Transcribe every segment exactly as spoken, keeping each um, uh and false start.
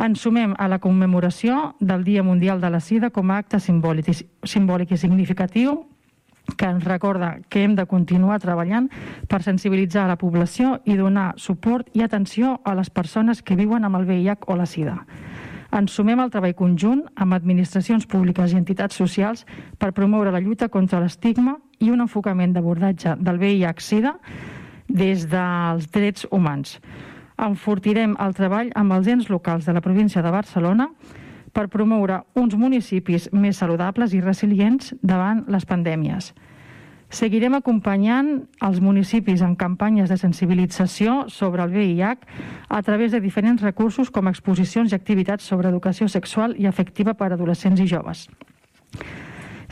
Ens sumem a la commemoració del Dia Mundial de la Sida com a acte simbòlic, simbòlic i significatiu que ens recorda que hem de continuar treballant per sensibilitzar la població i donar suport i atenció a les persones que viuen amb el V I H o la Sida. Ens sumem al treball conjunt amb administracions públiques i entitats socials per promoure la lluita contra l'estigma i un enfocament d'abordatge del V I H Sida des dels drets humans. Enfortirem el treball amb els ens locals de la província de Barcelona per promoure uns municipis més saludables i resilients davant les pandèmies. Seguirem acompanyant els municipis en campanyes de sensibilització sobre el V I H a través de diferents recursos com exposicions i activitats sobre educació sexual i afectiva per a adolescents i joves.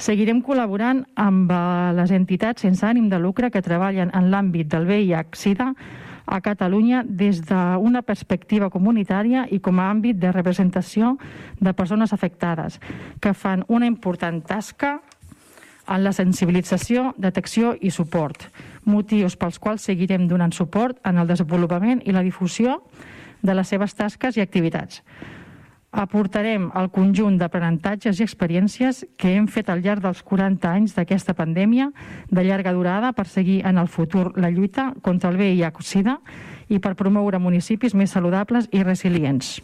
Seguirem col·laborant amb les entitats sense ànim de lucre que treballen en l'àmbit del V I H Sida a Catalunya des d'una perspectiva comunitària i com a àmbit de representació de persones afectades, que fan una important tasca en la sensibilització, detecció i suport, motius pels quals seguirem donant suport en el desenvolupament i la difusió de les seves tasques i activitats. Aportarem el conjunt d'aprenentatges i experiències que hem fet al llarg dels quaranta anys d'aquesta pandèmia de llarga durada per seguir en el futur la lluita contra el V I H Sida i per promoure municipis més saludables i resilients.